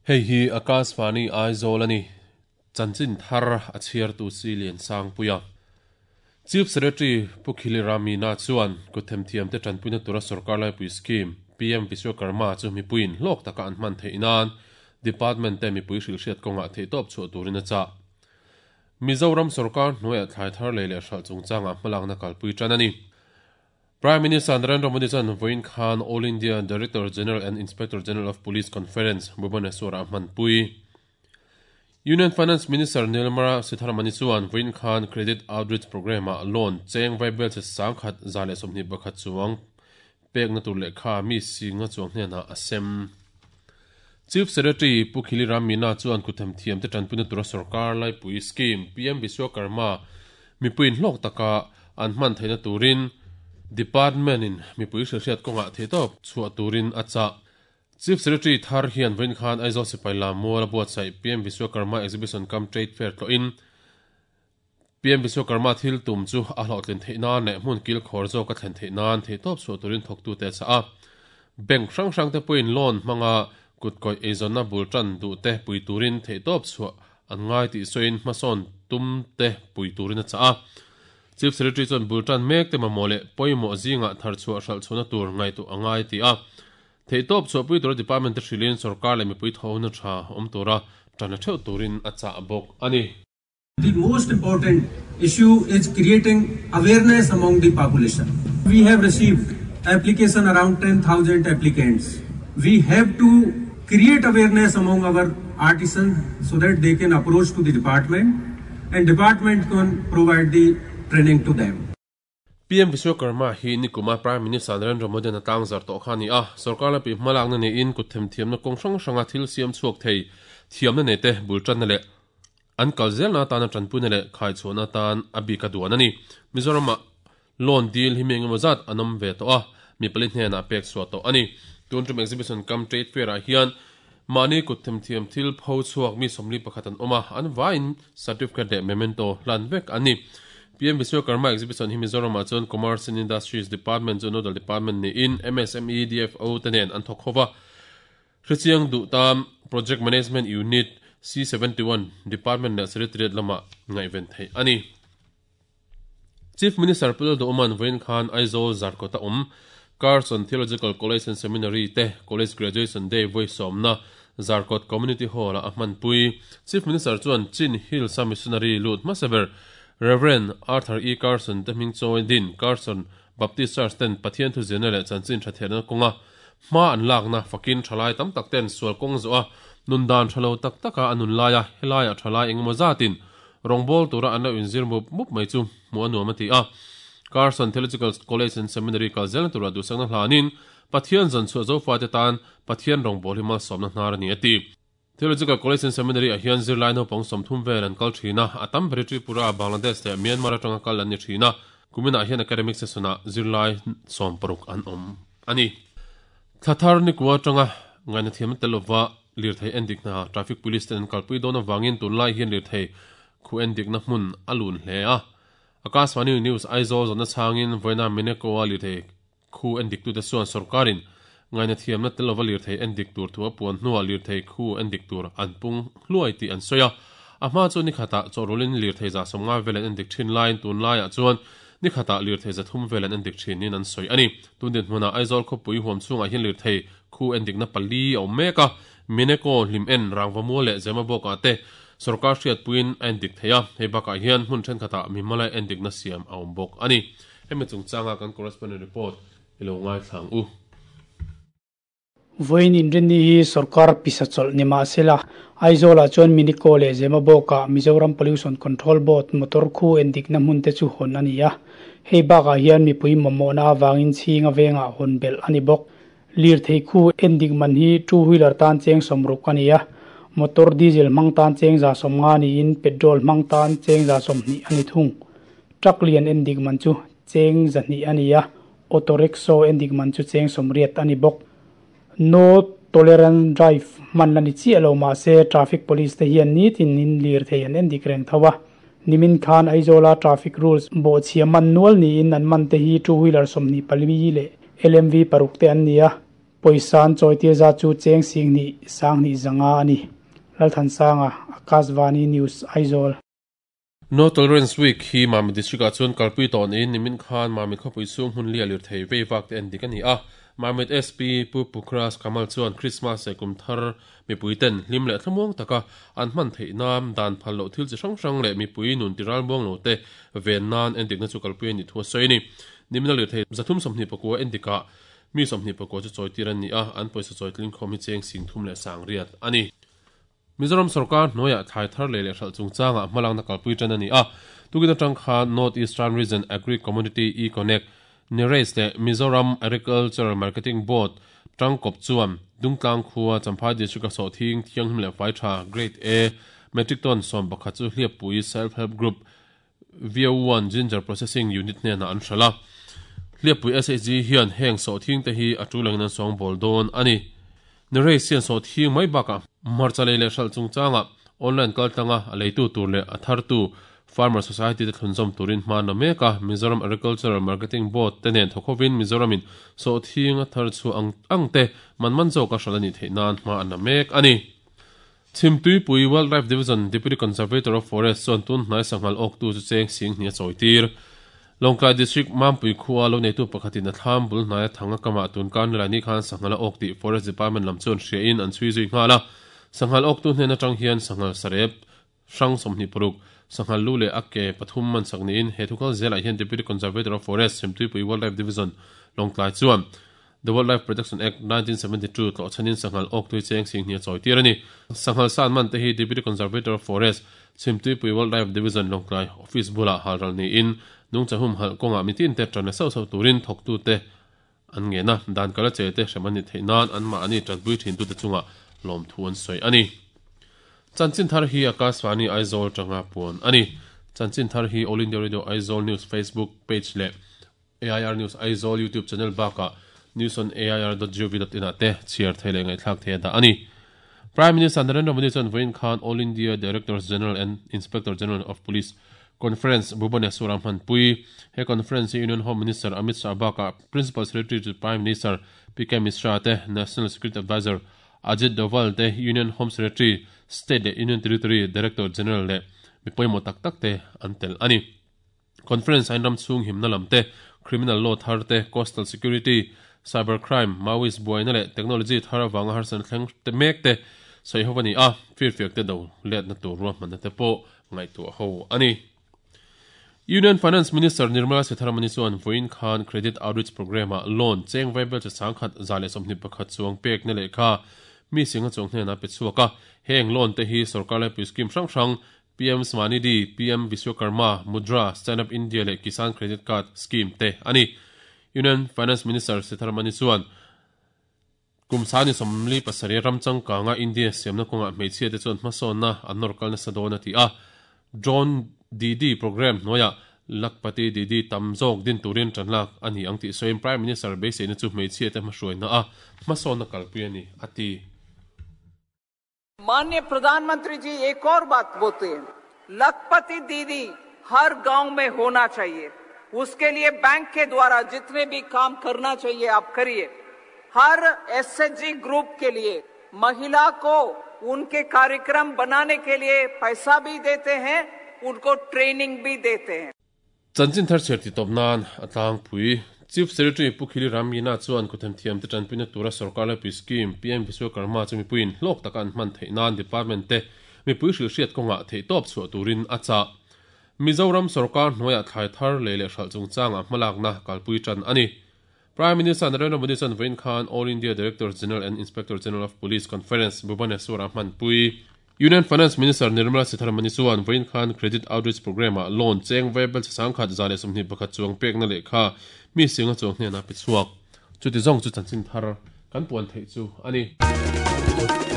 Hei hi Akashvani Aizawl a ni. Chanchin thar a chhiartu Siliansangpuia. Chief Secretary Pu Khili Ramina chuan kut themthiamte tanpuina tura sorkar laipui scheme PM Vishwakarma chu mipuiin hlawk taka an hman theih nan Department te mipui hrilhhriat kawngah theihtawp chhuah turin a chah. Mizoram sorkar hnuaiah thlai thar lei leh hralh chungchangah hmalakna kalpui tan a ni. Prime Minister Narendra Modi chuan vawiin khan All India Director General and Inspector General of Police Conference Bhubaneswar-ah hmanpui. Union Finance Minister Nirmala Sitharaman-i chuan vawiin khan Credit Outreach Programme-ah loan cheng vaibel che 1121 chuang pekna tur lehkha mi singa chuang hnenah a sem. Chief Secretary Pu Khili Ram Meena chuan kuthem thiamte tanpuina tura sorkar laipui scheme PM Vishwakarma mipuiin hlawk taka an hman theihna turin Department-in mipui hrilhhriat kawngah theihtawp chhuah turin a chah. Chief Secretary thar hian vawiin khan Aizawl sipai lam mual a buatsaih PM Vishwakarma Exhibition cum Trade Fair tlawhin PM Vishwakarma thil tum chu a hlawhtlin theih nan leh hmun kil khawr zawk a thlen theih nan theihtawp chhuah turin thawktute a chah a. Bank hrang hrangte pawhin loan hmanga kutkawih eizawnna bul tan duhte pui turin theihtawp chhuah an ngai tih sawiin hmasawn tumte pui turin a chah a. Chief Secretary chuan bul tan mek te mamawh leh pawimawh zingah thar chhuah hralh chhuahna tur ngaihtuah a ngai ti a. Theihtawp chhuahpui tura department te hrilhin sorkar leh mipui thawhna tha awm tura tan la theuh turin a chah bawk a ni. The most important issue is creating awareness among the population. We have received application around 10,000 applicants. We have to create awareness among our artisans so that they can approach to the department and department can provide the training to them. PM Vishwakarma hi nikuma Prime Minister Narendra Modi an a tlangzar tawh kha a ni a. Sorkar lampui hmalakna neiin kut themthiamna kawng hrang hranga thil siam chhuak thei thiamna nei te bul tanna leh an kal zelna atana tanpuina leh khaichhuahna atan a bik a duan a ni. Mizoramah loan dil hi mi engemaw zat an awm ve tawh a, mi pali hnenah pek chhuah tawh a ni. Tun tum exhibition cum trade fair ah hian mahni kut themthiam thil pho chhuak mi 41 an awm a, an vaiin certificate leh memento hlan vek an ni. PM Vishwakarma exhibition hi Mizoramah chuan Commerce and Industries Department chu nodal department niin MSME, DFO te nen an thawk ho va. Hrechiang duh tan Project Management Unit, C71, Department leh Secretariat lamah ngaihven theih a ni. Chief Minister Pu Lalduhawma'n vawiin khan Aizawl Zarkawta awm Carson Theological College and Seminary te College Graduation Day vawi sawmna Zarkawt Community Hall-ah a hmanpui. Chief Minister chuan Chin Hills-a missionary lut hmasa ber Rev. Arthur E. Carson te hming chawi din Carson Baptist Church ten Pathian thuzirna leh chanchin tha theihna kawnga hma an lakna fakin thalai tam tak ten sual kawng zawh a nun dan tha lo tak taka a nun laia helaiah thalai engemaw zatin rawngbawl tura an lo inzir mup mup mai chu hmuh a nuam a ti a. Carson Theological College and Seminary kal zelna tura duhsakna hlanin Pathian zan chhuah Zofate tan Pathian rawngbawl hi malsawmna hnar a ni a ti. Theological College and Seminary ah hian zirlai naupang 30 vel an kal thin a, a tam ber hi Tripura, Bangladesh leh Myanmar atanga kal an ni thin a, kuminah hian academic session ah zirlai 60 an awm a ni. Thla thar nikua atanga ngaihna thiam tel lova lirthei endik hna traffic police ten an kalpui dawn avangin tunlai hian lirthei khu endikna hmun a lun hle a. Akashvani News Aizawl zawhna chhangin vawiina Meneko-a lirthei Khu endiktute chuan sorkarin ngaihna thiamna tel lova lirthei endik tur thu a puan hnuah lirthei khu endik tur an pung hluai tih an sawi a. A hma chu ni khatah chawhrulin lirthei 150 vel an endik thin laiin tunlaiah chuan ni khatah lirthei 300 vel an endik thin niin an sawi a ni. Tun dinhmunah Aizawl khawpui huam chhungah hian lirthei khu endikna pali a awm mek a, Mineko, Hlim En, Rangvamual leh Zemabawkah te sorkar hriatpuiin a endik thei a, hei bakah hian hmun thenkhatah mimala endikna siam a awm bawk a ni. Hemi chungchanga kan correspondent report i lo ngaithla ang u. Vawiin inrinni hi sorkar pisa chawlh ni mah sela, Aizawlah chuan Miniko leh Zemabawkah Mizoram Pollution Control Board motor khu endikna hmun te chu hawn a ni a. Hei bakah hian mipui mamawhna avangin chhinga vengah hawn belh a ni bawk. Lirthei khu endik man hi two wheeler tan cheng 60 a ni a, motor diesel hmang tan cheng 150 niin petrol hmang tan cheng 120 a ni thung. Truck lian endik man chu cheng 200 a ni a, auto rickshaw endik man chu cheng 80 a ni bawk. No tolerance drive hman la ni chiah lo mahse traffic police te hian nitin in lirthei an endik reng tho a. Nimin khan Aizawla traffic rules bawhchhia man nual niin an man te hi two wheeler 24 leh LMV paruk te an ni a. Pawisa an chawitir zat chu cheng singhnih sanghnih zanga a ni. Lalthansanga, Akashvani News, Aizawl. No Tolerance Week hi Mamit District ah chuan kalpui tawh niin nimin khan Mamit khawpui chhung hmun lia lirthei vei vak te en dik a ni a. Mamit SP Pu Pukras Kamal chuan Krismas leh kum thar mipui ten hlim leh thlamuang taka an hman theih nan dan phal loh thil chi hrang hrang leh mipui nun ti ralmuang lo te ven nan endikna chu kalpui a nih thu a sawi a ni. Nimina lirthei 324 endikah mi 24 chu chawitir an ni a, an pawisa chawitling khawm hi cheng 38,000 a ni. Mizoram sorkar hnuaiah thlai thar lei leh hralh chungchangah hmalakna kalpui tan a ni a, tukin atang khan North Eastern Region Agri Community E-Connect, NERACE leh Mizoram Agricultural Marketing Board tangkawp chuan Dungtlang khua Champhai District-a sawhthing thianghlim leh fai tha Grade A metric ton 11 chu Hliappui Self Help Group VO1 Ginger Processing Unit hnenah an hralh a. Hliappui SHG hian heng sawhthing te hi a tul angin an sawngbawl dawn a ni. Nirace hian sawhthing mai bakah hmarcha lei leh hralh chungchangah online kaltlanga a leitu tur leh a thartu Farmer Society te thlunzawm turin hma na mek a. Mizoram Agricultural Marketing Board te nen thawk hovin Mizoramin sawhthing a thar chhuah ang ang te man man zawka hralh a nih theih nan hma an la mek a ni. Chhimtuipui Wildlife Division Deputy Conservator of Forest chuan tun hnai sanghal awktu chu cheng sing hnih a chawitir. Lawngtlai District Mampui khua lo neitu pakhatin a thlam bul hnaia thang a kamah tun kar nilai ni khan sanghal a awk tih Forest Department lam chuan hriain an chhui zui nghal a. Sanghal awktu hnen atang hian sanghal sarep hrang 26, sanghal lu leh a ke pathum man sak niin he thukal zelah hian Deputy Conservator of Forest Chhimtuipui Wildlife Division Lawngtlai chuan The Wildlife Protection Act, 1972 tlawh chhanin sanghal awktui cheng sing hnih a chawitir a ni. Sanghal san man te hi Deputy Conservator of Forest, Chhimtuipui Wildlife Division Lawngtlai Office bulah halral niin nungchahum halh kawngah mitin te tan la sauh sauh turin thawktute an ngen a, dan kal a che te hrem an ni theih nan anmahni tanpui thintute chungah lawmthu an sawi a ni. Chanchin thar hi Akashvani Aizawl tanga puan a ni. Chanchin thar hi All India Radio Aizawl News Facebook page leh AIR News Aizawl YouTube channel bakah newsonair.gov.in ah te chhiar thei leh ngaihthlak thei a dah a ni. Prime Minister Narendra Modi chuan vawiin khan All India Directors General and Inspector General of Police Conference Bhubaneswar-a hmanpui. He conference hi Union Home Minister Amit Shah bakah Principal Secretary to Prime Minister PK Mishra te, National Security Adviser Ajit Doval te, Union Home Secretary, State leh Union Territory Director General leh mi pawimawh tak tak te an tel a ni. Conference ah hian ram chhung himna lam te, criminal law thar te, coastal security, cyber crime, Maoist buaina leh technology thar avanga harsatna thleng te mek te sawi ho a ni a, firfiak te do letna tur ruahmanna te pawh ngaihtuah ho a ni. Union Finance Minister Nirmala Sitharaman chuan vawiin khan Credit Outreach Programme-ah loan cheng vaibel chi sangkhat 121 chuang pekna lehkha mi singa chuang hnenah pe chhuak a, heng loan te hi sorkar laipui scheme hrang hrang PM Svanidhi, PM Vishwakarma, Mudra, Stand Up India leh Kisan Credit Card Scheme te a ni. Union Finance Minister Sitharaman chuan kum sani 47 ram changkanga India siamna kawngah hmeichhia te chuan hmasawnna an nawr kal nasa dawn a ti a. Drone Didi programme hnuaiah Lakhpati Didi tam zawk din turin tan lak a ni ang tih sawiin Prime Minister beiseina chu hmeichhia te hmahruaina a hmasawnna kalpui a ni a ti. माननीय प्रधानमंत्री जी एक और बात बोलते हैं, लखपति दीदी हर गांव में होना चाहिए, उसके लिए बैंक के द्वारा जितने भी काम करना चाहिए आप करिए। हर एसएचजी ग्रुप के लिए महिला को उनके कार्यक्रम बनाने के लिए पैसा भी देते हैं, उनको ट्रेनिंग भी देते हैं। Chanchin thar chhiar tih tawp nan a tlangpui. Chief Secretary Pu Khili Ram Meena chuan kutthemthiam te tanpuina tura sorkar laipui scheme PM Vishwakarma chu mipuiin hlawk taka an hman theih nan department te mipui hrilhhriat kawngah theihtawp chhuah turin a chah. Mizoram sorkar hnuaiah thlai thar lei leh hralh chungchangah hmalakna kalpui tan a ni. Prime Minister Narendra Modi chuan vawiin khan All India Directors General and Inspector General of Police Conference Bhubaneswar-ah hmanpui. Union Finance Minister Nirmala Sitharaman chuan vawiin khan Credit Outreach Programme-ah loan cheng vaibel chi sangkhat 121 chuang pekna lehkha mi singa chuang hnenah pe chhuak. Chuti zawng chu chanchin thar kan puan theih chu a ni.